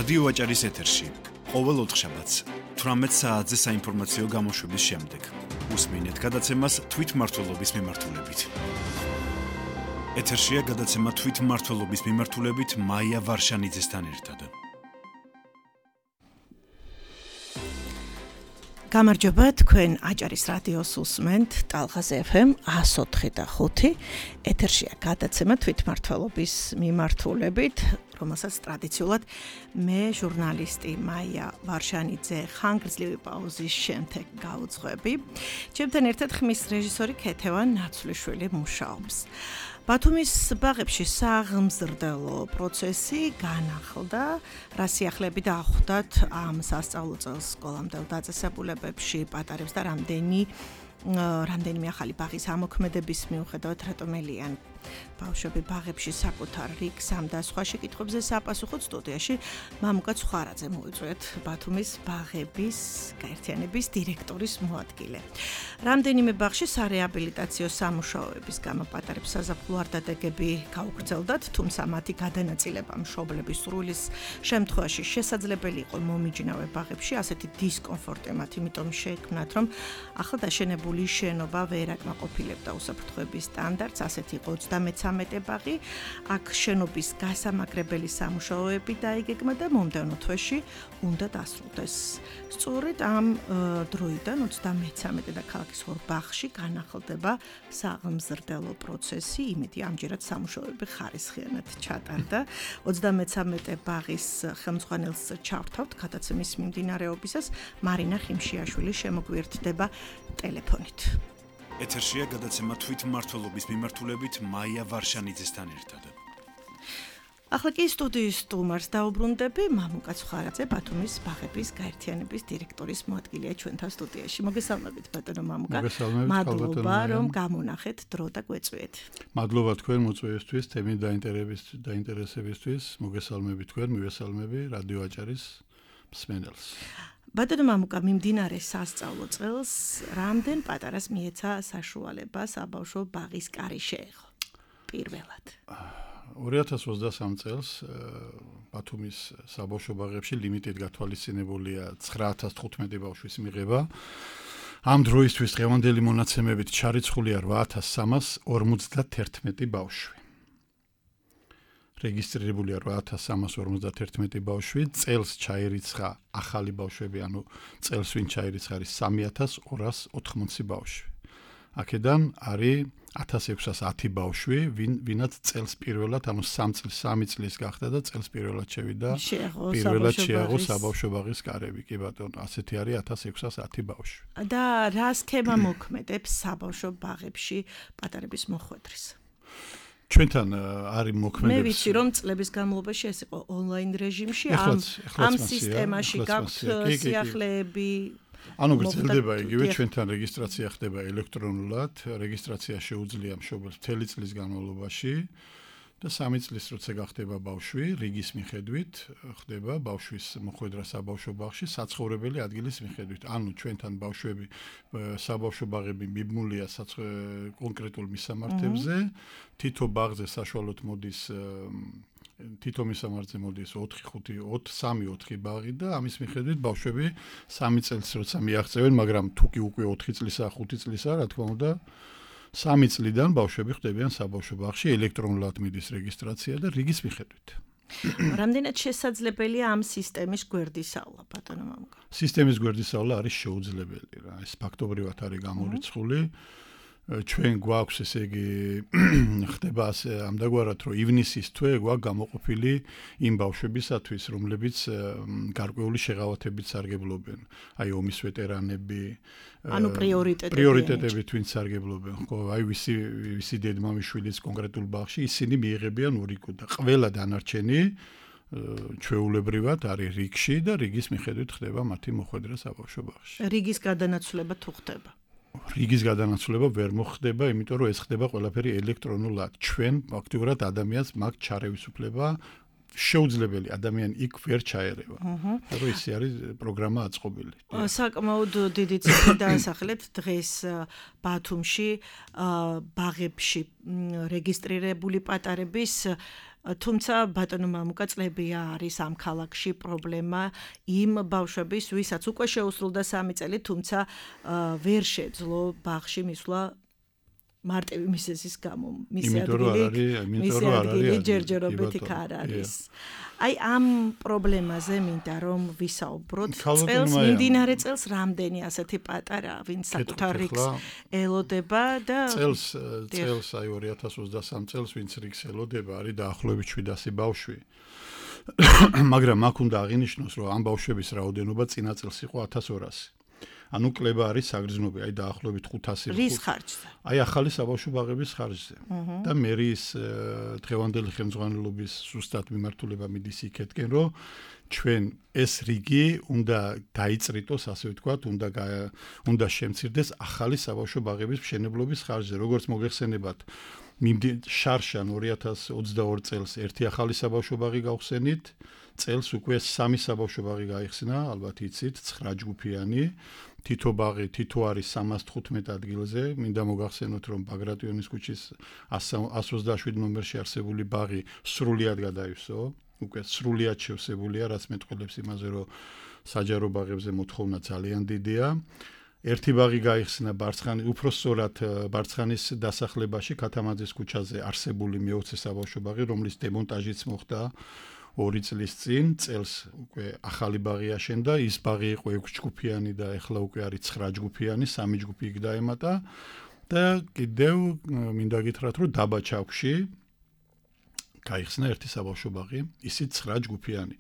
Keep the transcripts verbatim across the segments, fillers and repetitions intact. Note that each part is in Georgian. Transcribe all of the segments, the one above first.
რადიო აჭარის ეთერში ყოველ ოთხშაბათს თვრამეტ საათზე საინფორმაციო გამოშვების შემდეგ უსმინეთ გადაცემას თვითმმართველობის მიმართულებით. ეთერშია გადაცემა თვითმმართველობის მიმართულებით მაია ვარშანიძესთან ერთად. გამარჯობა, თქვენ აჭარის რადიოს უსმენთ ტალღაზე ეფ ემ one oh four და five. ეთერშია გადაცემა თვითმმართველობის მიმართულებით, რომელსაც ტრადიციულად მე ჟურნალისტი მაია ვარშანიძე ხანგრძლივი პაუზის შემდეგ გავუძღვები. ჩემთან ერთად ხმის რეჟისორი ქეთევან ნაცვლიშვილი მუშაობს. ბათუმის ბაღებში საღმზრდელო პროცესი განახლდა, რა სიახლეები დაახვდათ ამ სასწავლო წელს სკოლამდელ დაწესებულებებში პატარებს და რამდენი რამდენიმე ახალი ბაღის ამოქმედების მიუხედავად რატომელიან ბავშვები ბაღებში საკუთარ რიგს ამ და სხვა შეკითხვებზე საპასუხოდ სტუდიაში მამუკა ცხვარაძე მოიწვიეთ ბათუმის ბაღების გაერთიანების დირექტორის მოადგილე. რამდენიმე ბაღში სარეაბილიტაციო სამუშაოების გამო პატარებს საზაფხულო არდადეგები გაუგრძელდათ, თუმცა მათი გადანაწილება მშობლების სრულის შემთხვევაში შესაძლებელი იყო მომიჯნავე ბაღებში, ასეთი დისკომფორტი მათ იმიტომ შეექმნათ, რომ ახლა დაშენებული შენობა ვერ აკმაყოფილებდა უსაფრთხოების სტანდარტს, ასეთი იყო ოცდამეცამეტე ბაღი, აქ შენობის გასამაგრებელი სამუშაოები დაიგეგმა და მომდევნო თვეში უნდა დასრულდეს. სწორედ ამ დროიდან ოცდამეცამეტე და ქალაქის ორ ბაღში განახლდება საღმზრდელო პროცესი, იმედი ამჯერად სამუშაოები ხარისხიანად ჩატარდა. ოცდამეცამეტე ბაღის ხელმძღვანელს ჩავთავთ გადაცემის მიმდინარეობისას, მარინა ხიმშიაშვილი შემოგვიერთდება ტელეფონით. ეთერშია გადაცემა თვითმმართველობის მიმართულებით მაია ვარშანიძესთან ერთად. ახლა კი სტუდიის სტუმარს დაუბრუნდები, მამუკა ცხვარაძე, ბათუმის ბაღების გაერთიანების დირექტორის მოადგილეა ჩვენთან სტუდიაში. მოგესალმებით, ბატონო მამუკა. მადლობა, რომ გამონახეთ დრო და გვეწვიეთ. მადლობა თქვენ მოწვევისთვის, თემის დაინტერესებისთვის. მოგესალმებით თქვენ, მივესალმები რადიო აჭარის მსმენელს. ბატონო მამუკა, მიმდინარე სასწავლო წელს რამდენ პატარას მიეცა საშუალება საბავშვო ბაღის კარი შეეღო? პირველად. ორი ათას ოცდასამ წელს ბათუმის საბავშვო ბაღებში ლიმიტით გათვალისწინებულია ცხრა ათას თხუთმეტი ბავშვის მიღება. ამ დროისთვის დღევანდელი მონაცემებით ჩარიცხულია რვა ათას სამას ორმოცდათერთმეტი ბავშვი. რეგისტრირებულია რვა ათას სამას ორმოცდათერთმეტი ბავშვი, წელს ჩაირიცხა ახალი ბავშვები, ანუ წელს ვინ ჩაირიცხა არის სამი ათას ორას ოთხმოცი ბავშვი. აქედან არის ათას ექვსას ათი ბავშვი, ვინ ვინაც წელს პირველად, ანუ სამ წლის სამი წლის გახდა და წელს პირველად შევიდა, პირველად შეაღო საბავშვო ბაღის კარები. კი ბატონო, ასეთი არის ათას ექვსას ათი ბავშვი. და რა სქემა მოქმედებს საბავშვო ბაღებში პატარების მოხვედრის? ჩვენთან არის მოქმედებს. მე ვიცი, რომ წლების განმავლობაში ეს იყო ონლაინ რეჟიმში, ამ ამ სისტემაში გაქვთ სიახლეები. ანუ გრძელდება იგივე, ჩვენთან რეგისტრაცია ხდება ელექტრონულად, რეგისტრაცია შეუძლია მშობელს მთელი წლის განმავლობაში და სამი წლის როცა გახდება ბავშვი, რიგის მიხედვით ხდება ბავშვის მოხვედრა საბავშვო ბაღში საცხოვრებელი ადგილის მიხედვით. ანუ ჩვენთან ბავშვები საბავშვო ბაღები მიბმულია კონკრეტულ მისამართებზე, თითო ბაღზე საშუალოდ მოდის თითო მისამართზე მოდის ოთხი ხუთი სამი ოთხი ბაღი და ამის მიხედვით ბავშვები სამი წელს როცა მიაღწევენ, მაგრამ თუ კი უკვე ოთხი წლისა, ხუთი წლისა, რა თქმა უნდა, სამი წლიდან ბავშვები ხდებიან საბავშვო ბაღში, ელექტრონულად მიდის რეგისტრაცია და რიგის მიხედვით. რამდენად შესაძლებელია ამ სისტემის გვერდისავლა, ბატონო მამუკა? სისტემის გვერდისავლა არის შეუძლებელი რა, ეს ფაქტობრივად არის გამორიცხული. ჩვენ გვაქვს ესე იგი ხდება ასე ამდაგვარად რომ ივნისის თვე გვაქვს გამოყოფილი იმ ბავშვებისათვის რომლებიც გარკვეული შეღავათებით სარგებლობენ, აი ომის ვეტერანები, ანუ პრიორიტეტები პრიორიტეტებით ვინც სარგებლობენ, ხო, აი ვისი ვისი დედმამიშვილის კონკრეტულ ბაღში ისინი მიიღებიან ურიკო და ყველა დანარჩენი ჩვეულებრივად არის რიგში და რიგის მიხედვით ხდება მათი მოხვედრა საბავშვო ბაღში. რიგის გადანაცვლება თუ ხდება? რიგის გადანაცვლება ვერ მოხდება, იმიტომ რომ ეს ხდება ყველაფერი ელექტრონულად. ჩვენ ფაქტიურად ადამიანს მაგ ჩარევის უფლება შეუძლებელი, ადამიანი იქ ვერ ჩაერევა. რომ ის არის პროგრამა აწყობილი. საკმაოდ დიდი ციფრი დაასახლეთ დღეს ბათუმში ბაღებში რეგისტრირებული პატარების თუმცა ბატონო მამუკა წლებია არის ამ ქალაქში პრობლემა იმ ბავშვების, ვისაც უკვე შეუსრულდა სამი წელი, თუმცა ვერ შეძლო ბაღში მისვლა მარტივი მისესის გამო. მისი ადგილი, მისი ადგილი ჯერჯერობით იქ არ არის. აი ამ პრობლემაზე მინდა რომ ვისაუბროთ. წელს მიმდინარე წელს რამდენი ასეთი პატარა, ვინც საკუთარ რიგს ელოდება და წელს წელს აი ორი ათას ოცდასამი წელს ვინც რიგს ელოდება, არის დაახლოებით შვიდასი ბავშვი. მაგრამ აქ უნდა აღინიშნოს, რომ ამ ბავშვების რაოდენობა წინა წელს იყო ათას ორასი. ანუ კლება არის საგრძნობი, აი დაახლოებით ხუთასი. რის ხარჯზე? აი ახალი საბავშვო ბაღების ხარჯზე. და მერის დღევანდელი ხელმძღვანელობის ზუსტად მიმართულება მიდის იქეთკენ, რომ ჩვენ ეს რიგი უნდა დაიწრიტოს, ასე ვთქვათ, უნდა უნდა შემცირდეს ახალი საბავშვო ბაღების მშენებლობის ხარჯზე. როგორც მოგეხსენებათ, შარშან ორი ათას ოცდაორი წელს ერთი ახალი საბავშვო ბაღი გავხსენით, წელს უკვე სამი საბავშვო ბაღი გაიხსნა, ალბათ იცით, ცხრა ჯგუფიანი. თითო ბაღი, თითო არის სამას თხუთმეტ ადგილზე. მინდა მოგახსენოთ, რომ ბაგრატიონის ქუჩის εκατს ოცდაშვიდ ნომერში არსებული ბაღი სრულიად გადაივსო. უკვე სრულიად შევსებულია, რაც მეტყველებს იმაზე, რომ საჯარო ბაღებზე მოთხოვნა ძალიან დიდია. ერთი ბაღი გაიხსნა ბარცხანის, უფრო სწორად ბარცხანის დასახლებაში, ქათამაძის ქუჩაზე არსებული მეოცე საბავშვო ბაღი, რომლის დემონტაჟიც მოხდა ორი წლის წინ, წელს უკვე ახალი ბაღი აშენდა, ის ბაღი იყო ექვს ჯგუფიანი და ეხლა უკვე არის ცხრა ჯგუფიანი, სამი ჯგუფი იქ დაემატა და კიდევ მინდა გითხრათ, რომ დაბა ჩაქვში გაიხსნა ერთი საბავშვო ბაღი, ისიც ცხრა ჯგუფიანი.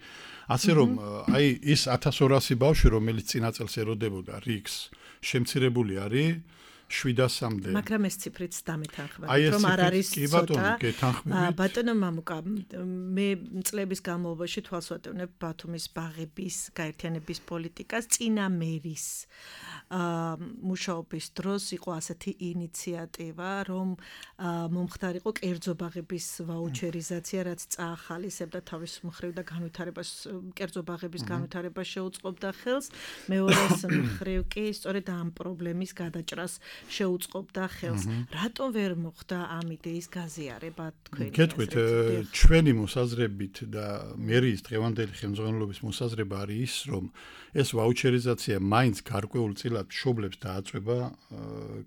ასე რომ აი ის ათას ორასი ბავშვი, რომელიც წინა წელს ელოდებოდა რიგს, შემცირებული არის შვიდასამდე. მაგრამ ეს ციფრიც დამეთანხმებით, რომ არ არის ცოტა. ბატონო მამუკა, მე წლების განმავლობაში თვალს ვატევნებ ბათუმის ბაღების გაერთიანების პოლიტიკას, წინა მერის მუშაობის დროს იყო ასეთი ინიციატივა, რომ მომხდარიყო კერძო ბაღების ვაუჩერიზაცია, რაც წაახალისებდა თავის მხრივ და განვითარებას, კერძო ბაღების განვითარებას შეუწყობდა ხელს. მეორეს მხრივ კი სწორედ ამ პრობლემის გადაჭრას შეუწყობდა ხელს. რატომ ვერ მოხდა ამ იდეის გაზიარება თქვენი? გეტყვით, ჩვენი მოსაზრებით და მერის დღევანდელი ხელმძღვანელობის მოსაზრება არის ის, რომ ეს ვაუჩერიზაცია მაინც გარკვეულ წილად მშობლებს დააწვება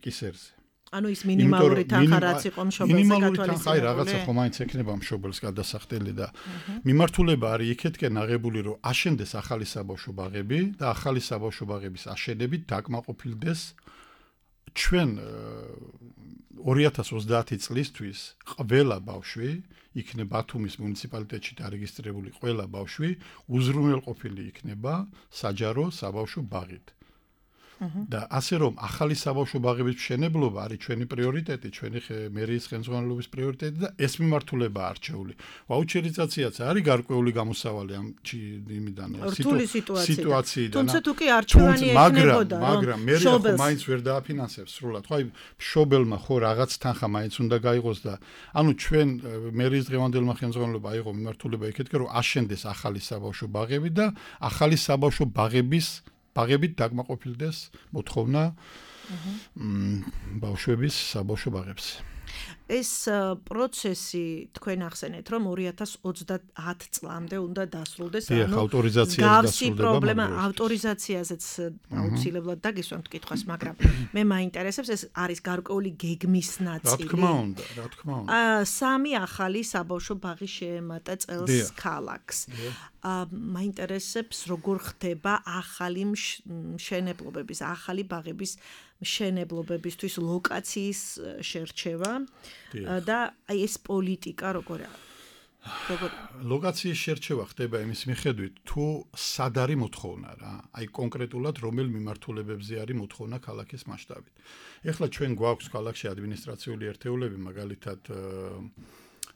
კისერზე. ანუ ის მინიმალური თანხა რაც იყო მშობელზე გათვალისწინებული. აი რაღაცა ხომ მაინც ექნება მშობელს გადასახდელი და მიმართულება არის იქეთკენ აღებული, რომ აშენდეს ახალი საბავშვო ბაღები და ახალი საბავშვო ბაღების აშენებით დაკმაყოფილდეს ჩვენ ორი ათას ოცდაათი წლისთვის ყველა ბავშვი იქნება ბათუმის მუნიციპალიტეტში დარეგისტრირებული ყველა ბავშვი უზრუნველყოფილი იქნება საჯარო საბავშვო ბაღით. და ასე რომ ახალი საბავშვო ბაღების მშენებლობა არის ჩვენი პრიორიტეტი, ჩვენი მერის ხელმძღვანელობის პრიორიტეტი და ეს მიმართულება არჩეული. ვაუჩერიზაციაც არის გარკვეული გამოსავალი ამ იმიდან სიტუაციიდან. თუმცა თუ კი არჩევანი ექნებოდა, მაგრამ მერი ხო მაინც ვერ დააფინანსებს სრულად. ხო აი მშობელმა ხო რაღაც თანხა მაინც უნდა გაიღოს და ანუ ჩვენ მერის დღევანდელმა ხელმძღვანელობა აიღო მიმართულება იქეთკენ, რომ აშენდეს ახალი საბავშვო ბაღები და ახალი საბავშვო ბაღების ბაღებით დაკმაყოფილდეს მოთხოვნა ბავშვების საბავშვო ბაღებს. ეს პროცესი თქვენ ახსენეთ, რომ ორი ათას ოცდაათი წლამდე უნდა დასრულდეს, ანუ ავტორიზაცია გავსი პრობლემა ავტორიზაციაზეც აუცილებლად დაგისვამთ კითხვას, მაგრამ მე მაინტერესებს ეს არის გარკვეული გეგმის ნაწილი. რა თქმა უნდა, რა თქმა უნდა. სამი ახალი საბავშვო ბაღი შეემატა წელს ქალაქს. მაინტერესებს როგორ ხდება ახალი მშენებლობების, ახალი ბაღების მშენებლობებისთვის ლოკაციის შერჩევა და აი ეს პოლიტიკა როგორ როგორ ლოკაციის შერჩევა ხდება იმის მიხედვით თუ სად არის მოთხოვნა რა, აი კონკრეტულად რომელ მიმართულებებზე არის მოთხოვნა ქალაქის მასშტაბით. ეხლა ჩვენ გვაქვს ქალაქში ადმინისტრაციული ერთეულები, მაგალითად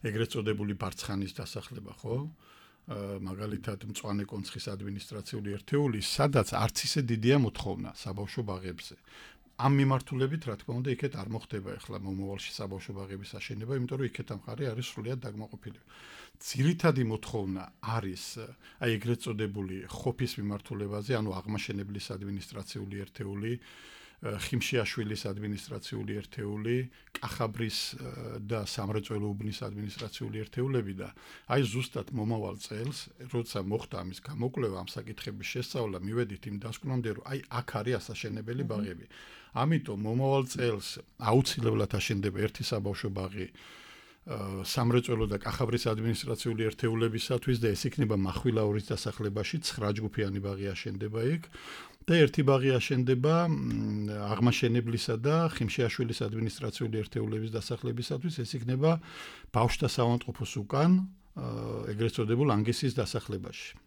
ეგრეთ წოდებული ბარცხანის დასახლება, ხო? მაგალითად მწვანე კონცხის ადმინისტრაციული ერთეული, სადაც არც ისე დიდია მოთხოვნა საბავშვო ბაღებზე. ამ მიმართულებით, რა თქმა უნდა, იქეთ არ მოხდება ახლა მომავალში საბავშვო ბაღების აშენება, იმიტომ რომ იქეთ ამხარი არის სრულიად დაკმაყოფილი. ძირითადი მოთხოვნა არის აი ეგრეთ წოდებული ხოფის მიმართულებაზე, ანუ აღმაშენებლის ადმინისტრაციული ერთეული, ხიმშიაშვილის ადმინისტრაციული ერთეული, კახაბრის და სამრეწველო უბნის ადმინისტრაციული ერთეულები და აი ზუსტად მომავალ წელს, როცა მოხდა ამის გამოკვლევა, ამ საკითხების შესწავლა, მივედით იმ დასკვნამდე, რომ აი აქ არის ასაშენებელი ბაღები. ამიტომ მომავალ წელს აუცილებლად აშენდება ერთი საბავშვო ბაღი სამრეწველო და კახაბრის ადმინისტრაციული ერთეულებისათვის და ეს იქნება მახვილაურის დასახლებაში ცხრა ჯგუფიანი ბაღი აშენდება იქ და ერთი ბაღი აშენდება აღმაშენებლისა და ხიმშიაშვილის ადმინისტრაციული ერთეულების დასახლებისათვის ეს იქნება ბავშვთა საავადმყოფოს უკან ეგრეთ წოდებულ ანგისის დასახლებაში.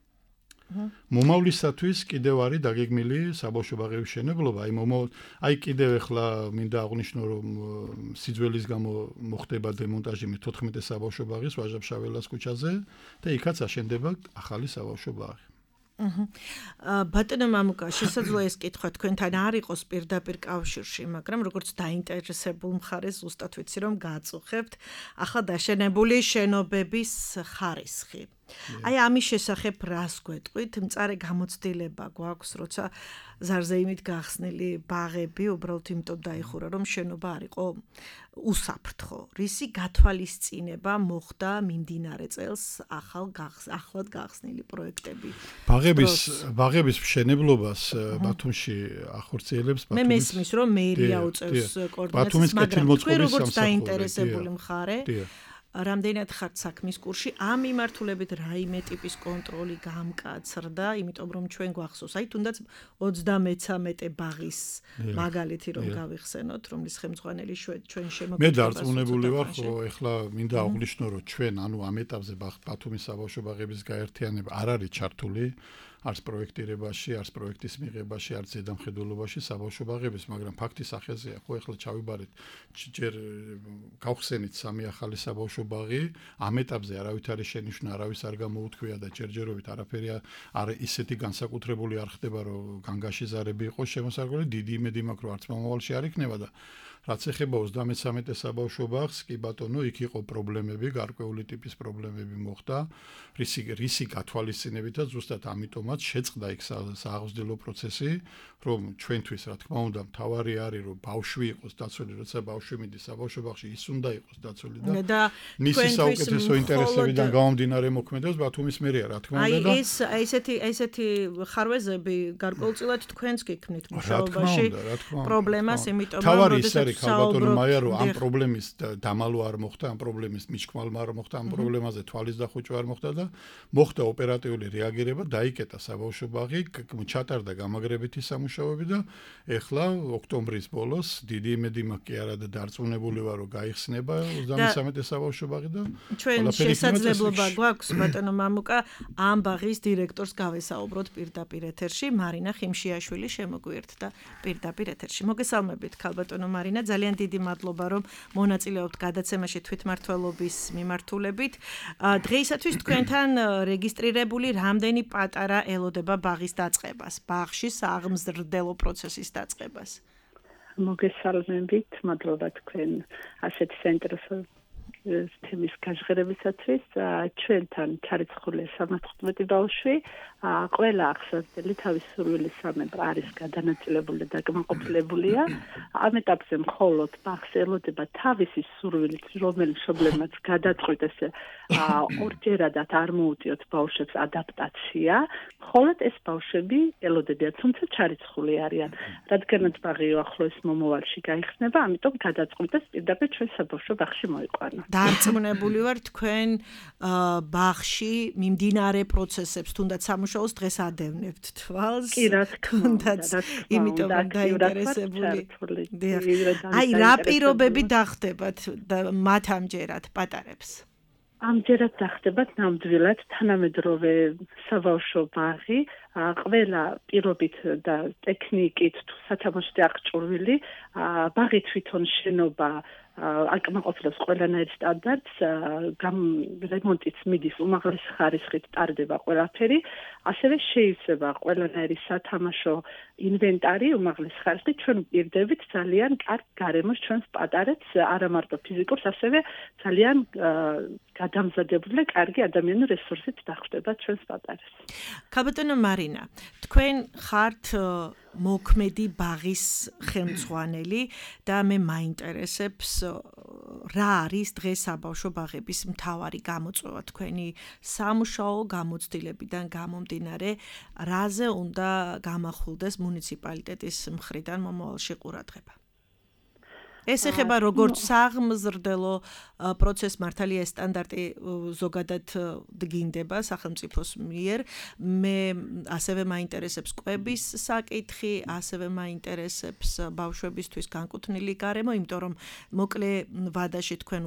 მომავლისათვის კიდევ არის დაგეგმილი საბავშვო ბაღების მშენებლობა, აი მომავალ აი კიდევ ახლა მინდა აღვნიშნო რომ სიძველის გამო მოხდება დემონტაჟი მეთოთხმეტე საბავშვო ბაღის ვაჟა-ფშაველას ქუჩაზე და იქაც აშენდება ახალი საბავშვო ბაღი. ბატონო მამუკა, შესაძლოა ეს კითხვა თქვენთან არ იყოს პირდაპირ კავშირში, მაგრამ როგორც დაინტერესებულ მხარეს ზუსტად ვიცი რომ გააწუხებთ ახლა დაშენებული შენობების ხარისხი. აი ამის შესახებ რას გვეტყვით? მწარე გამოცდილება გვაქვს, როცა ზარზეიმით გახსნილი ბაღები უბრალოდ იმიტომ დაიხურა, რომ შენობა არ იყო უსაფრთხო. რისი გათვალისწინება მოხდა მიმდინარე წელს ახალ ახლად გახსნილი პროექტები? ბაღების ბაღების მშენებლობას ბათუმში ახორციელებს ბათუმის. მე მესმის, რომ მერია უწევს კოორდინაციას, მაგრამ თქვენ როგორც დაინტერესებული მხარე რამდენად ხართ საქმის კურსში, ამ მიმართულებით რაიმე ტიპის კონტროლი გამკაცრდა, იმიტომ რომ ჩვენ გვახსოვს, აი თუნდაც ოცდამეცამეტე ბაღის მაგალითი რომ გავიხსენოთ, რომლის ხელმძღვანელი ჩვენ შემოგვიყვება. მე დარწმუნებული ვარ, რომ ეხლა მინდა აღვნიშნო, რომ ჩვენ ანუ ამ ეტაპზე ბათუმის საბავშვო ბაღების გაერთიანება არ არის ჩართული არც პროექტირებაში, არც პროექტის მიღებაში, არც ზედამხედველობაში საბავშვო ბაღების, მაგრამ ფაქტის სახეზეა, ხო ეხლა ჩავიბარეთ, ჯერ გავხსენით სამი ახალი საბავშვო ბაღი, ამ ეტაპზე არავით არის შენიშვნა, არავის არ გამოუთქვია და ჯერჯერობით არაფერი არ ისეთი განსაკუთრებული არ ხდება, რომ განგაშიზარები იყოს შემოსარგებელი, დიდი იმედი მაქვს, რომ არც მომავალში არ იქნება და რაც ეხება ოცდამეცამეტე საბავშვო ბაღს, კი ბატონო, იქ იყო პრობლემები, გარკვეული ტიპის პრობლემები მოხდა, რისი რისი გათვალისწინებითაც ზუსტად ამიტომაც შეწყდა იქ სააღმძდელო პროცესი, რომ ჩვენთვის, რა თქმა უნდა, მთავარი არის, რომ ბავშვი იყოს დაცული, როცა ბავშვი მიდის საბავშვო ბაღში, ის უნდა იყოს დაცული და მისი საუკეთესო ინტერესებიდან გამომდინარე მოქმედებს ბათუმის მერია, რა თქმა უნდა და აი ეს ესეთი ესეთი ხარვეზები გარკვეულწილად თქვენს გიქმნით მუშაობაში პრობლემას, იმიტომ რომ როდესაც ქალბატონო მაია რომ ამ პრობლემის დამალვა არ მოხდა, ამ პრობლემის მიჩქმალმა არ მოხდა, ამ პრობლემაზე თვალის დახუჭვა არ მოხდა და მოხდა ოპერატიული რეაგირება, დაიკეტა საბავშვო ბაღი, ჩატარდა გამაგრებითი სამუშაოები და ეხლა ოქტომბრის ბოლოს დიდი იმედი მაქვს კი არა და დარწმუნებული ვარ რომ გაიხსნება ოცდამეცამეტე საბავშვო ბაღი და ჩვენ შესაძლებლობა გვაქვს ბატონო მამუკა ამ ბაღის დირექტორს გავესაუბროთ პირდაპირ ეთერში, მარინა ხიმშიაშვილი შემოგვიერთდა პირდაპირ ეთერში. მოგესალმებით ქალბატონო მარინა, ძალიან დიდი მადლობა რომ მონაწილეობთ გადაცემაში თვითმმართველობის მიმართულებით. დღეისათვის თქვენთან რეგისტრირებული რამდენი პატარა ელოდება ბაღის დაწყებას, ბაღში სააღმზრდელო პროცესის დაწყებას? მოგესალმებით, მადლობა თქვენ ასეთ საინტერესო თემის გაჟღერებისათვის. ჩვენთან ჩარიცხულია სამოცდამეტი ბავშვი, ყველა ახსოვსდელი თავის სურვილის სამებრ არის გადანაწილებული და კმაყოფილებულია. ამ ეტაპზე მხოლოდ ბაღს ელოდება თავისი სურვილით, რომელიც მშობლებმაც გადაწყვიტეს ესე ორჯერადად არ მოუწიოთ ბავშვებს ადაპტაცია, მხოლოდ ეს ბავშვები ელოდებიან, თუმცა ჩარიცხული არიან. რადგანაც ბაღი ახლოს მომავალში გაიხსნება, ამიტომ გადაწყვიტეს პირდაპირ ჩვენ საბავშვო ბაღში მოიყვანოთ. დარწმუნებული ვარ თქვენ ბაღში მიმდინარე პროცესებს თუნდაც სამუშაოს დღეს ადევნებთ თვალს. კი, რა თქმა უნდა, იმიტომ რომ დაინტერესებული. აი რა პირობები დახდებათ მათ ამჯერად პატარებს? ამჯერად დახდებათ ნამდვილად თანამედროვე საბავშვო ბაღი, ყველა პირობით და ტექნიკით სათამაშოზე აღჭურვილი, ბაღი თვითონ შენობა აკმაყოფილებს ყველანაირ სტანდარტს, რემონტიც მიდის უმაღლესი ხარისხით, ტარდება ყველაფერი, ასევე შეიცება ყველანაირი სათამაშო ინვენტარი უმაღლესი ხარისხით, ჩვენ პირდებით ძალიან კარგ გარემოს ჩვენს პატარებს, არა მარტო ფიზიკურს, ასევე ძალიან გადამზადებული და კარგი ადამიანური რესურსით დახვდება ჩვენს პატარებს. ქალბატონო მარინა, თქვენ ხართ მოქმედი ბაღის ხელმძღვანელი და მე მაინტერესებს რა არის დღეს საბავშვო ბაღების მთავარი გამოწვევა თქვენი სამუშაო გამოცდილებიდან გამომდინარე, რაზე უნდა გამახვილდეს მუნიციპალიტეტის მხრიდან მომავალში ყურადღება. ეს ეხება როგორც საღმზრდელო პროცესს მართალია სტანდარტი ზოგადად დგინდება სახელმწიფოს მიერ. მე ასევე მაინტერესებს კვების საკითხი, ასევე მაინტერესებს ბავშვებისთვის განკუთვნილი გარემო, იმიტომ რომ მოკლე ვადაში თქვენ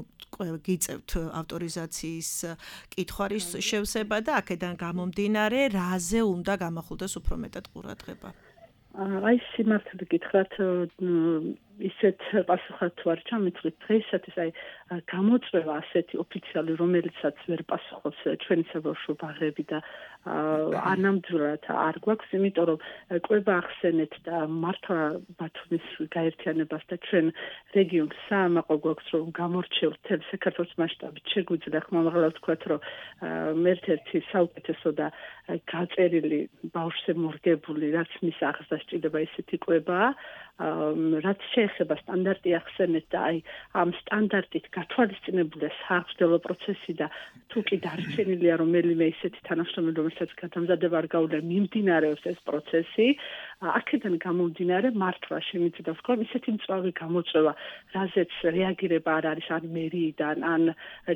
გიწევთ ავტორიზაციის კითხვარის შევსება და აქედან გამომდინარე, რაზე უნდა გამახვილდეს უფრო მეტად ყურადღება. აი სიმართლე გითხრათ ისეთ პასუხად თუ არ ჩამეთვლით დღეისათვის აი გამოწვევა ასეთი ოფიციალური რომელიცაც ვერ პასუხობს ჩვენი საბავშვო ბაღები და ანამდვილად არ გვაქვს, იმიტომ რომ კვება ახსენეთ და მართლა ბათუმის გაერთიანებას და ჩვენ რეგიონს საამაყო გვაქვს რომ გამორჩეულ თელ საქართველოს მასშტაბით შეგვიძლია ხმამაღლა ვთქვათ რომ ერთ-ერთი საუკეთესო და გაწერილი ბავშვზე მორგებული რაც მის აღზრდას ჭირდება ისეთი კვებაა რაც შეეხება სტანდარტი ახსენეთ და აი ამ სტანდარტით გათვალისწინებულია საღმრთელო პროცესი და თუ კი დარჩენილია რომელიმე ისეთი თანამშრომელი რომელსაც გადამზადება არ გაუძლია მიმდინარეობს ეს პროცესი აქედან გამომდინარე მართლა შემიძლია ვთქვა ისეთი მწვავე გამოწვევა რაზეც რეაგირება არ არის ან მერიიდან ან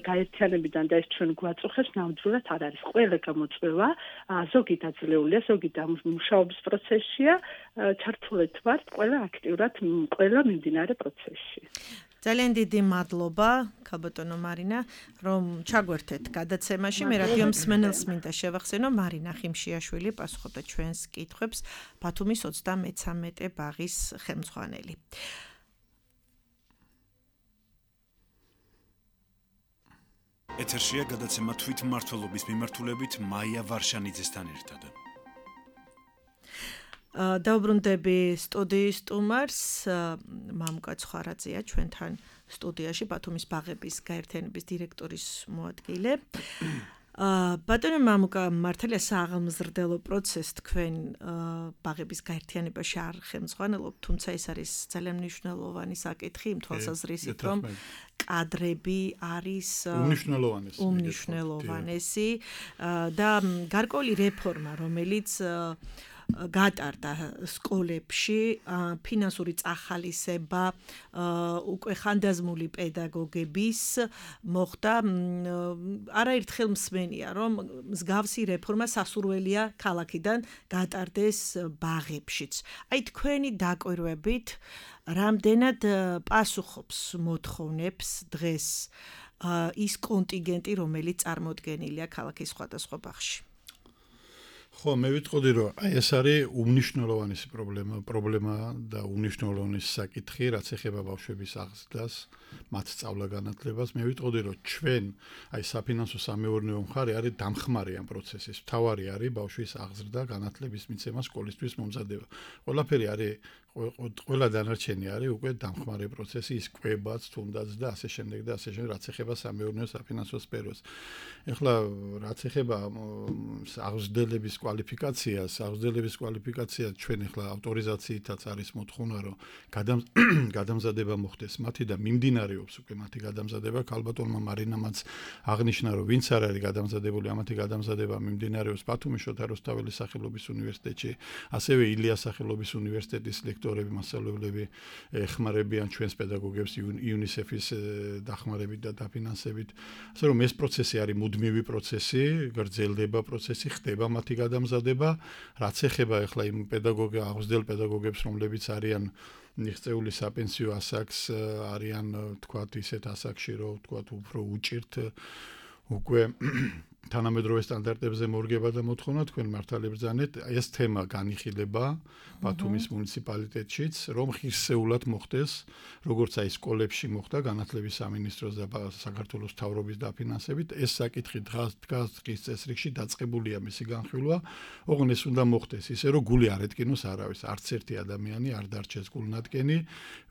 გაერთიანებიდან და ეს ჩვენ გვაწუხებს ნამდვილად არ არის ყველა გამოწვევა ზოგი დაძლეულია ზოგი მუშაობის პროცესია ჩართულეთ ვართ ყველა აქტიურად ყველა მიმდინარე პროცესში. ძალიან დიდი მადლობა, ქალბატონო მარინა, რომ ჩაგვერთეთ გადაცემაში. მე რადიო მსმენელს მინდა შევახსენო, მარინა ხიმშიაშვილი პასუხობდა ჩვენს კითხვებს, ბათუმის ოცდამეცამეტე ბაღის ხელმძღვანელი. ეთერშია გადაცემა თვითმმართველობის მიმართულებით მაია ვარშანიძესთან ერთად. დაუბრუნდები სტუდიის სტუმარს, მამუკა ცხარაძეა ჩვენთან სტუდიაში ბათუმის ბაღების გაერთიანების დირექტორის მოადგილე. ბატონო მამუკა, მართალია საღმზრდელო პროცესს თქვენ ბაღების გაერთიანებაში არ ხელმძღვანელობთ, თუმცა ეს არის ძალიან მნიშვნელოვანი საკითხი იმ თვალსაზრისით, რომ კადრები არის უმნიშვნელოვანესი უმნიშვნელოვანესი და გარკვეული რეფორმა, რომელიც გატარდა სკოლებში ფინანსური წახალისება უკვე ხანდაზმული პედაგოგების მოხდა არაერთხელ მსმენია რომ მსგავსი რეფორმა სასურველია ქალაქიდან გატარდეს ბაღებშიც. აი თქვენი დაკვირვებით რამდენად პასუხობს მოთხოვნებს დღეს ის კონტინგენტი რომელიც წარმოდგენილია ქალაქის სხვადასხვა ბაღში. ხო, მე ვიტყოდი რომ აი ეს არის უმნიშვნელოვანესი პრობლემა, პრობლემა და უმნიშვნელოვანესი საკითხი, რაც ეხება ბავშვების აღზრდას, მათ სწავლა-განათლებას. მე ვიტყოდი რომ ჩვენ აი საფინანსო სამეურნეო მხარე არის დამხმარე ამ პროცესის. მთავარი არის ბავშვის აღზრდა, განათლების მიცემა, სკოლისთვის მომზადება. ყველაფერი არის ყველა დანარჩენი არის უკვე დამხმარე პროცესი, ის კვებაც თუნდაც და ასე შემდეგ და ასე შემდეგ, რაც ეხება სამეურნეო საფინანსო სფეროს. ეხლა რაც ეხება აღზრდელების კვალიფიკაციას, აღზრდელების კვალიფიკაცია ჩვენ ეხლა ავტორიზაციითაც არის მოთხოვნა, რომ გადამზადება მოხდეს მათი და მიმდინარეობს უკვე მათი გადამზადება. ქალბატონმა მარინამაც აღნიშნა, რომ ვინც არ არის გადამზადებული, ამათი გადამზადება მიმდინარეობს ბათუმის შოთა რუსთაველის სახელობის უნივერსიტეტში, ასევე ილიას სახელობის უნივერსიტეტის ლექტორები, მასწავლებლები ეხმარებიან ჩვენს პედაგოგებს იუნისეფის დახმარებით და დაფინანსებით. ასე რომ ეს პროცესი არის მუდმივი პროცესი, გრძელდება პროცესი, ხდება მათი გადამზადება, რაც ეხება ახლა იმ პედაგოგ აღზრდელ პედაგოგებს, რომლებიც არიან მიღწეული საპენსიო ასაკს, არიან თქვათ ისეთ ასაკში, რომ თქვათ უფრო უჭირთ უკვე თანამედროვე სტანდარტებზე მორგება და მოთხოვნა თქვენ მართალი ბრძანეთ, ეს თემა განიხილება ბათუმის მუნიციპალიტეტშიც, რომ ხირსეულად მოხდეს, როგორც აი სკოლებში მოხდა განათლების სამინისტროს და საქართველოს მთავრობის დაფინანსებით, ეს საკითხი დგას დღის წესრიგში დაწყებულია მისი განხილვა, ოღონდ ეს უნდა მოხდეს ისე, რომ გული არ ეტკინოს არავის, არც ერთი ადამიანი არ დარჩეს გულნატკენი,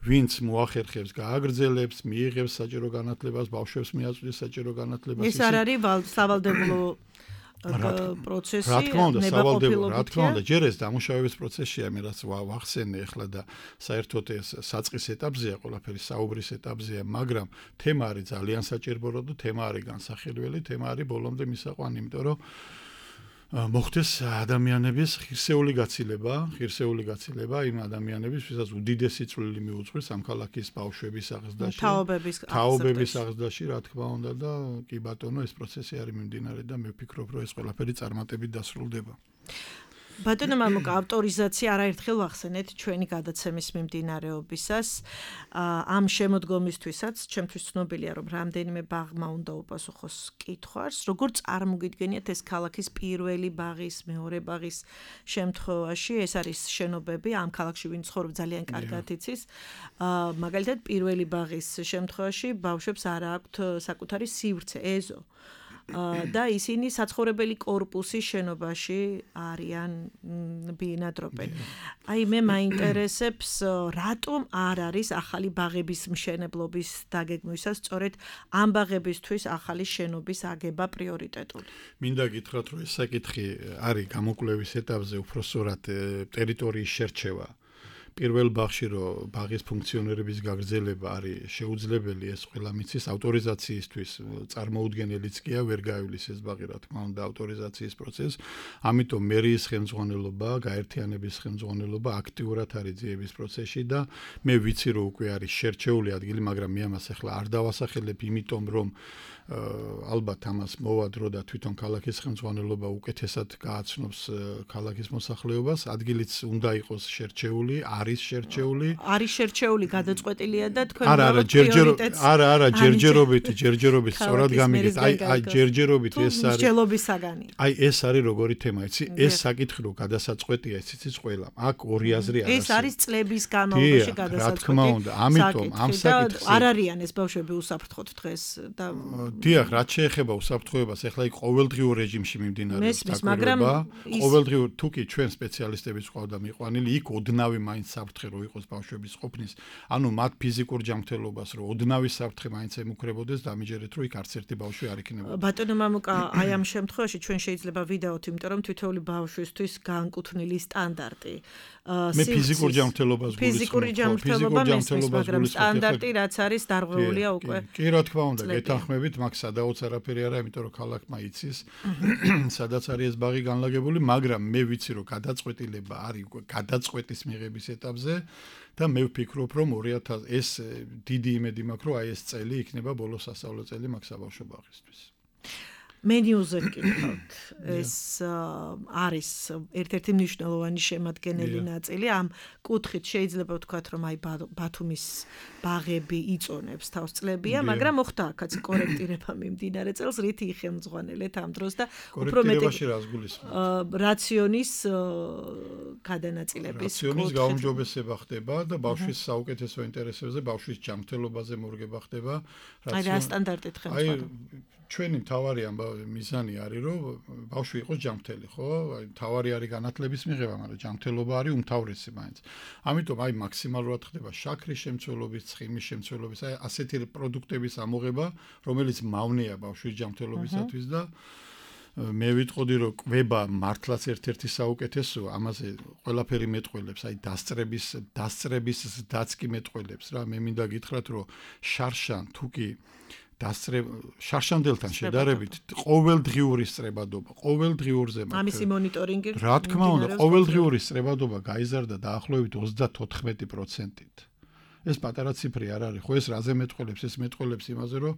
ვინც მოახერხებს, გააგრძელებს, მიიღებს საჭირო განათლებას, ბავშვებს მიაწვდის საჭირო განათლებას. ეს არ არის სავალდებულო პროცესი რა თქმა უნდა, სავალდებულო, რა თქმა უნდა, ნებაყოფილობითია. ჯერ ეს დამუშავების პროცესია, მე რაც ვახსენე ახლა და საერთოდ ეს საწყის ეტაპზეა, ყველაფერი საუბრის ეტაპზეა, მაგრამ თემა არის ძალიან საჭიროა და თემა არის განსახილველი, თემა არის ბოლომდე მისაყვანი, იმიტომ რომ მოხდეს ადამიანების ღირსეული გაცილება, ღირსეული გაცილება იმ ადამიანების, ვისაც უდიდესი წვლილი მიუძღვის ამ ქალაქის ბავშვების აღზრდაში, თაობების თაობების აღზრდაში, რა თქმა უნდა და კი ბატონო, ეს პროცესი არის მიმდინარე და მე ვფიქრობ, რომ ეს ყველაფერი წარმატებით დასრულდება. ბატონო მამუკა, ავტორიზაცია არაერთხელ ვახსენეთ ჩვენი გადაცემის მიმდინარეობისას. ამ შემოდგომისთვისაც ჩემთვის ცნობილია, რომ რამდენიმე ბაღმა უნდა უპასუხოს კითხვას, როგორ წარმოგიდგენიათ ეს ქალაქის პირველი ბაღის, მეორე ბაღის შემთხვევაში, ეს არის შენობები, ამ ქალაქში ვინ ცხოვრობს ძალიან კარგად იცის. მაგალითად, პირველი ბაღის შემთხვევაში ბავშვებს არ აქვთ საკუთარი სივრცე, ეზო. და ისინი საცხოვრებელი კორპუსის შენობაში არიან ბინადრობენ. აი მე მაინტერესებს რატომ არ არის ახალი ბაღების მშენებლობის დაგეგმვისას სწორედ ამ ბაღებისთვის ახალი შენობის აგება პრიორიტეტული. მინდა გითხრათ, რომ ეს საკითხი არის გამოკვლევის ეტაპზე უფრო სწორად ტერიტორიის შერჩევა. პირველ ბაღში რომ ბაღის ფუნქციონირების გაგრძელება არის შეუძლებელი, ეს ყველა მიცის ავტორიზაციისთვის წარმოუდგენელიც კი ვერ გაივლის ეს ბაღი, რა თქმა უნდა, ავტორიზაციის პროცესს. ამიტომ მერიის ხელმძღვანელობა, გაერთიანების ხელმძღვანელობა აქტიურად არის ძიების პროცესში და მე ვიცი, რომ უკვე არის შერჩეული ადგილი, მაგრამ მე ამას ახლა არ დავასახელებ, იმიტომ რომ ალბათ ამას მოვა დრო და თვითონ ქალაქის ხელმძღვანელობა უკეთესად გააცნობს ქალაქის მოსახლეობას, ადგილიც უნდა იყოს შერჩეული, არის შერჩეული. არის შერჩეული, გადაწყვეტილია და თქვენ არა, არა, ჯერჯერობით, არა, არა, ჯერჯერობით, ჯერჯერობით, სწორად გამიგეთ. აი, აი, ჯერჯერობით ეს არის. მსჯელობის საგანი. აი, ეს არის როგორი თემა, იცი? ეს საკითხი რო გადასაწყვეტია, ეს იცის ყველა. აქ ორი აზრი არის. ეს არის წლების განმავლობაში გადასაწყვეტი. რა თქმა უნდა, ამიტომ ამ საკითხს არ არიან ეს ბავშვები უსაფრთხოდ დღეს და დიახ, რაც შეეხება უსაფრთხოებას, ახლა იქ ყოველდღიურ რეჟიმში მიმდინარეობს მაგრამ ყოველდღიურ თუ კი ჩვენ სპეციალისტებიც ყავდა მიყვანილი, იქ ოდნავი მაინც საფრთხე რო იყოს ბავშვების ყოფნის, ანუ მათ ფიზიკურ ჯანმრთელობას რო ოდნავი საფრთხე მაინც ემუქრებოდეს, დამიჯერეთ რომ იქ არც ერთი ბავშვი არ იქნებოდა. ბატონო მამუკა, აი ამ შემთხვევაში ჩვენ შეიძლება ვიდეოთ, იმიტომ რომ თითოეული ბავშვისთვის განკუთვნილი სტანდარტი. მე ფიზიკურ ჯანმრთელობას გულისხმობ. ფიზიკური ჯანმრთელობა მესმის, მაგრამ სტანდარტი რაც არის დარღვეულია უკვე. კი, რა თქმა უნდა, გეთანხმებით, მაგ სადაოც არაფერი არა, იმიტომ რომ ქალაქმა იცის, სადაც არის ეს ბაღი განლაგებული, მაგრამ მე ვიცი, რომ გადაწყვეტილება არის უკვე გადაწყვეტის მიღების ეტაპზე და მე ვფიქრობ, რომ ორი ათას ეს დიდი იმედი მაქვს, რომ აი ეს წელი იქნება ბოლო სასწავლო წელი მაგ საბავშვო ბაღისთვის. მენიუზე ვკითხავთ, ეს არის ერთ-ერთი მნიშვნელოვანი შემადგენელი ნაწილი. ამ კუთხით შეიძლება ვთქვათ, რომ აი ბათუმის ბაღები იწონებს თავს წლებია, მაგრამ მოხდა აქაც კორექტირება მიმდინარე წელს, რითი იხელმძღვანელეთ ამ დროს და უფრო მეტი რაციონის გადანაწილების რაციონის გაუმჯობესება ხდება და ბავშვის საუკეთესო ინტერესებზე, ბავშვის ჯანმრთელობაზე მორგება ხდება. აი რა სტანდარტით ხელმძღვანელობა. ჩვენი მთავარი მიზანი არის, რომ ბავშვი იყოს ჯანმრთელი, ხო? აი მთავარი არის განათლების მიღება, მაგრამ ჯანმრთელობა არის უმთავრესი მაინც. ამიტომ აი მაქსიმალურად ხდება შაქრის შემცველობის, ცხიმის შემცველობის, აი ასეთი პროდუქტების ამოღება, რომელიც მავნეა ბავშვის ჯანმრთელობისათვის და მე ვიტყოდი, რომ კვება მართლაც ერთ-ერთი საუკეთესოა, ამაზე ყველაფერი მეტყველებს, აი დასწრების, დასწრების დაც კი მეტყველებს რა. მე მინდა გითხრათ, რომ შარშან თუკი დასწრებ შარშანდელთან შედარებით ყოველდღიური სწრებადობა, ყოველდღიურზე მაქვს. ამისი მონიტორინგი. რა თქმა უნდა, ყოველდღიური სწრებადობა გაიზარდა დაახლოებით ოცდათოთხმეტი პროცენტით. ეს პატარა ციფრი არ არის, ხო ეს რაზე მეტყველებს? ეს მეტყველებს იმაზე, რომ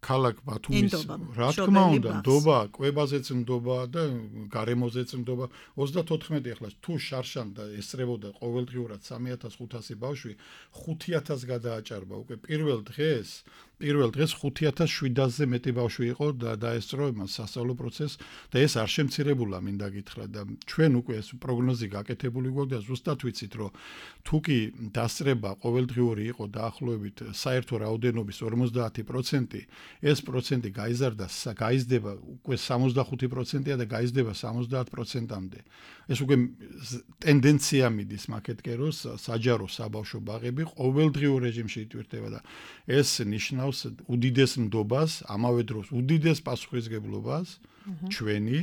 ქალაქ ბათუმის რა თქმა უნდა, ნდობა, კვებაზეც ნდობა და გარემოზეც ნდობა. ოცდათოთხმეტი ახლა თუ შარშან და ესწრებოდა ყოველდღიურად სამი ათას ხუთასი ბავშვი, ხუთი ათასს გადააჭარბა უკვე პირველ დღეს. პირველ დღეს ხუთი ათას შვიდასზე მეტი ბავშვი იყო და დაესწრო იმას სასწავლო პროცესს და ეს არ შემცირებულა, მინდა გითხრა და ჩვენ უკვე ეს პროგნოზი გაკეთებული გვაქვს და ზუსტად ვიცით, რომ თუ კი დასწრება ყოველდღიური იყო დაახლოებით საერთო რაოდენობის ორმოცდაათი პროცენტი, ეს პროცენტი გაიზარდა, გაიზრდება უკვე სამოცდახუთი პროცენტია და გაიზრდება სამოცდაათ პროცენტამდე. ეს უკვე ტენდენცია მიდის მაკეთკე, რომ საჯარო საბავშვო ბაღები ყოველდღიურ რეჟიმში იტვირთება და ეს ნიშნავს უდიდეს ნდობას, ამავე დროს უდიდეს პასუხისგებლობას ჩვენი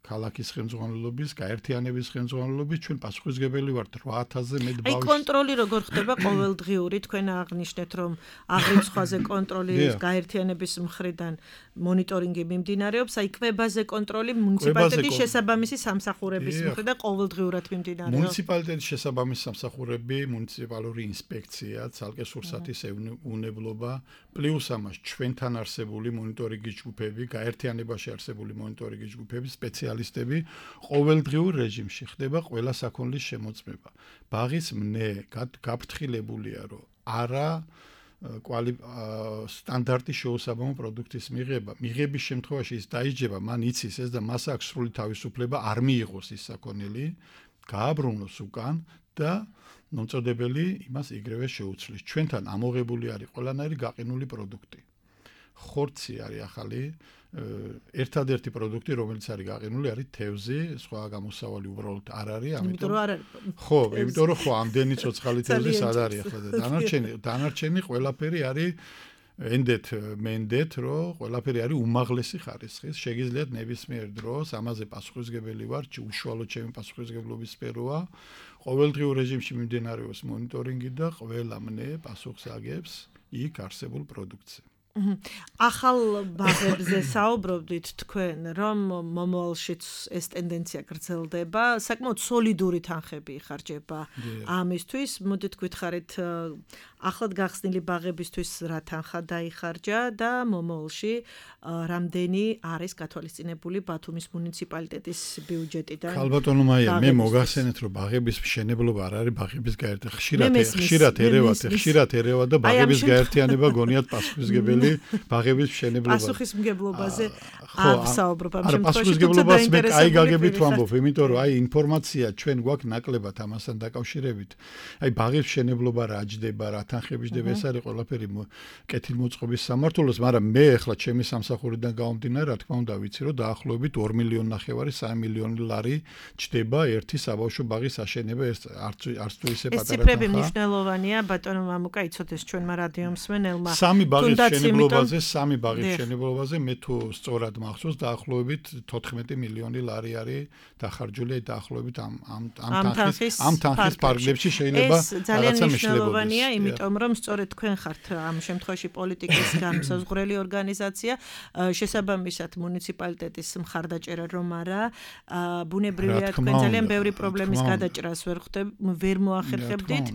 ქალაქის ხელმძღვანელობის, გაერთიანების ხელმძღვანელობის ჩვენ პასუხისმგებელი ვართ რვა ათასზე მეტ ბავშვს. აი კონტროლი როგორ ხდება ყოველდღიური? თქვენ აღნიშნეთ რომ აღრიცხვაზე კონტროლი გაერთიანების მხრიდან მონიტორინგი მიმდინარეობს, აი კვებაზე კონტროლი მუნიციპალიტეტის შესაბამისი სამსახურების მხრიდან ყოველდღიურად მიმდინარეობს. მუნიციპალიტეტის შესაბამისი სამსახურები, მუნიციპალური ინსპექცია, ცალკე სურსათის ევნებლობა, პლუს ამას ჩვენთან არსებული მონიტორინგის ჯგუფები, გაერთიანებაში არსებული მონიტორინგის ჯგუფები, სპეციალისტები ყოველდღიურ რეჟიმში ხდება ყველა საქონლის შემოწმება. ბაღის მნე გაფრთხილებულია, რომ არა კვალი სტანდარტის შეუსაბამო პროდუქტის მიღება. მიღების შემთხვევაში ის დაიჯება, მან იცის ეს და მას აქვს სრული თავისუფლება არ მიიღოს ის საქონელი, გააბრუნოს უკან და მომწოდებელი იმას იგრევე შეუცვლის. ჩვენთან ამოღებული არის ყველანაირი გაყინული პროდუქტი. ხორცი არის ახალი, ერთადერთი პროდუქტი, რომელიც არის გაყინული, არის თევზი, სხვა გამოსავალი უბრალოდ არ არის, ამიტომ იმიტომ რომ არ არის. ხო, იმიტომ რომ ხო, ამდენი ცოცხალი თევზი სად არის ახლა და დანარჩენი, დანარჩენი ყველაფერი არის ენდეთ, მენდეთ, რომ ყველაფერი არის უმაღლესი ხარისხის. შეგიძლიათ ნებისმიერ დროს ამაზე პასუხისმგებელი ვარ, უშუალოდ ჩემი პასუხისმგებლობის სფეროა. ყოველდღიურ რეჟიმში მიმდინარეობს მონიტორინგი და ყველა მნე პასუხს აგებს იქ არსებულ პროდუქტზე. ახალ ბაღებზე საუბრობდით თქვენ, რომ მომავალშიც ეს ტენდენცია გრძელდება, საკმაოდ სოლიდური თანხები იხარჯება ამისთვის. მოდით გითხარით, ახლად გახსნილი ბაღებისთვის რა თანხა დაიხარჯა და მომავალში რამდენი არის გათვალისწინებული ბათუმის მუნიციპალიტეტის ბიუჯეტიდან? ქალბატონო მაია, მე მოგახსენეთ, რომ ბაღების მშენებლობა არ არის ბაღების გაერთიანება. ხშირად ხშირად ერევათ, ხშირად ერევათ და ბაღების გაერთიანება გონიათ პასუხისმგებელი ბაღების მშენებლობა. პასუხისმგებლობაზე ავსაუბრობ ამ შემთხვევაში. პასუხისმგებლობას მე კაი გაგებით ვამბობ, იმიტომ რომ აი ინფორმაცია ჩვენ გვაქვს ნაკლებად ამასთან დაკავშირებით. აი ბაღის მშენებლობა რა ჯდება, რა თანხები ჯდება, ეს არის ყველაფერი კეთილმოწყობის სამმართველოს, მაგრამ მე ახლა ჩემი სამსახურიდან გამომდინარე, რა თქმა უნდა ვიცი, რომ დაახლოებით ორი მილიონი ნახევარი, სამი მილიონი ლარი ჯდება ერთი საბავშვო ბაღის აშენება, ეს არც არც თუ ისე პატარა თანხა. ეს ციფრები მნიშვნელოვანია, ბატონო მამუკა, იცოდეს ჩვენმა რადიო მსმენელმა. სამი ბაღის მშენებლობაზე, სამი ბაღის მშენებლობაზე მე თუ სწორად მახსოვს, დაახლოებით თოთხმეტი მილიონი ლარი არის დახარჯული დაახლოებით ამ ამ ამ თანხის ამ თანხის ფარგლებში შეიძლება რაღაცა მნიშვნელოვანია, იმიტომ რომ სწორედ თქვენ ხართ ამ შემთხვევაში პოლიტიკის განმსაზღვრელი ორგანიზაცია, შესაბამისად მუნიციპალიტეტის მხარდაჭერა რომ არა, ბუნებრივია თქვენ ძალიან ბევრი პრობლემის გადაჭრას ვერ ხვდებ, ვერ მოახერხებდით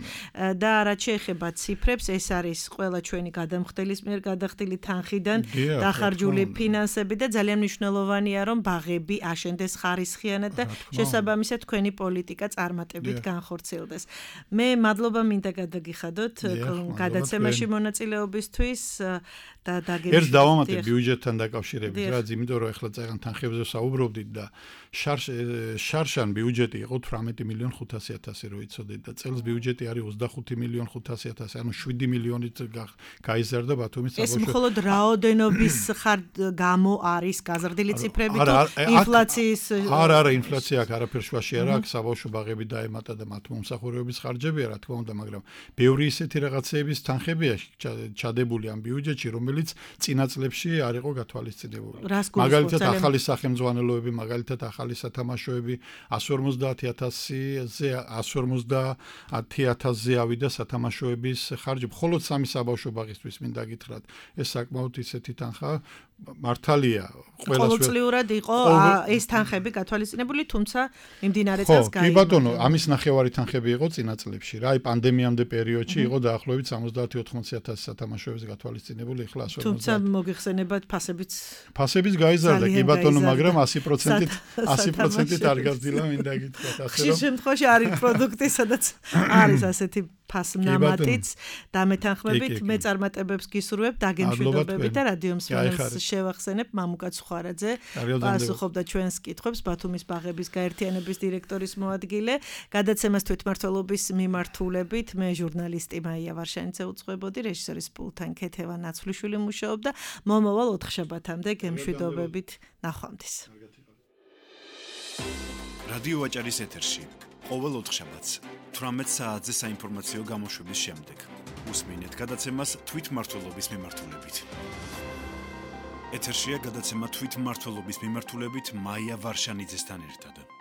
და რაც შეეხება ციფრებს, ეს არის ყველა ჩვენი გადამხდელის მიერ გადახდილი თანხიდან დახარჯული ფინანსები და ძალიან მნიშვნელოვანია რომ ბაღები აშენდეს ხარისხიანად და შესაბამისად თქვენი პოლიტიკა წარმატებით განხორციელდეს. მე მადლობა მინდა გადაგიხადოთ გადაცემაში მონაწილეობისთვის და დაგემშვიდობთ. ერთ დავამატე ბიუჯეტთან დაკავშირებით, რაც იმიტომ რომ ახლა წეგან თანხებზე საუბრობდით და შარშან ბიუჯეტი იყო თვრამეტი მილიონი ხუთასი ათასი რო იცოდეთ და წელს ბიუჯეტი არის ოცდახუთი მილიონი ხუთასი ათასი, ანუ შვიდი მილიონით გაიზარდა ბათუმის საბავშვო. ეს მხოლოდ რაოდენობის გამო არის გაზრდილი ციფრები თუ ინფლაციის? არა, არა, ინფლაცია აქ არაფერ შუაში არ აქვს, საბავშვო ბაღები დაემატა და მათ მომსახურებების ხარჯებია, რა თქმა უნდა, მაგრამ ბევრი ისეთი რაღაცეების თანხებია ჩადებული ამ ბიუჯეტში, რომელიც წინა წლებში არ იყო გათვალისწინებული. მაგალითად, ახალი სახელმძღვანელოები, მაგალითად, ახალი სათამაშოები εκατს ორმოცდაათი ათასზე εκατს ორმოცდაათი ათასზე ავიდა სათამაშოების ხარჯი. მხოლოდ სამი საბავშვო ბაღისთვის მინდა გითხრათ, ეს საკმაოდ ისეთი თანხა მართალია ყოველწლიურად იყო ეს თანხები გათვალისწინებული, თუმცა მიმდინარე წელს გაიმართა. კი ბატონო, ამის ნახევარი თანხები იყო წინა წლებში რა, აი პანდემიამდე პერიოდში იყო დაახლოებით სამოცდაათი ოთხმოცი ათასი სათამაშოების გათვალისწინებული, ეხლა εκατს ორმოცდაათი. თუმცა მოგიხსენებათ ფასებიც ფასებიც გაიზარდა, კი ბატონო, მაგრამ ასი პროცენტით ასი პროცენტით არ გაზრდილა, მინდა გითხრათ, ასე რომ ხშირ შემთხვევაში არის პროდუქტი, სადაც არის ასეთი ფასნამატიც დამეთანხმებით. მე წარმატებებს გისურვებ, დაგემშვიდობებით და რადიო მსმენელს შევახსენებ მამუკა ცხვარაძე პასუხობდა ჩვენს კითხვებს, ბათუმის ბაღების გაერთიანების დირექტორის მოადგილე. გადაცემას თვითმმართველობის მიმართულებით მე ჟურნალისტი მაია ვარშანიძე უძღვებოდი, რეჟისორის პულთან ქეთევა ნაცვლიშვილი მუშაობდა. მომავალ ოთხშაბათამდე გემშვიდობებით, ნახვამდის. რადიო ვაჭარის ეთერში ყოველ ოთხშაბათს თვრამეტ საათზე საინფორმაციო გამოშვების შემდეგ უსმინეთ გადაცემას თვითმმართველობის მიმართულებით. ეთერშია გადაცემა თვითმმართველობის მიმართულებით მაია ვარშანიძესთან ერთად.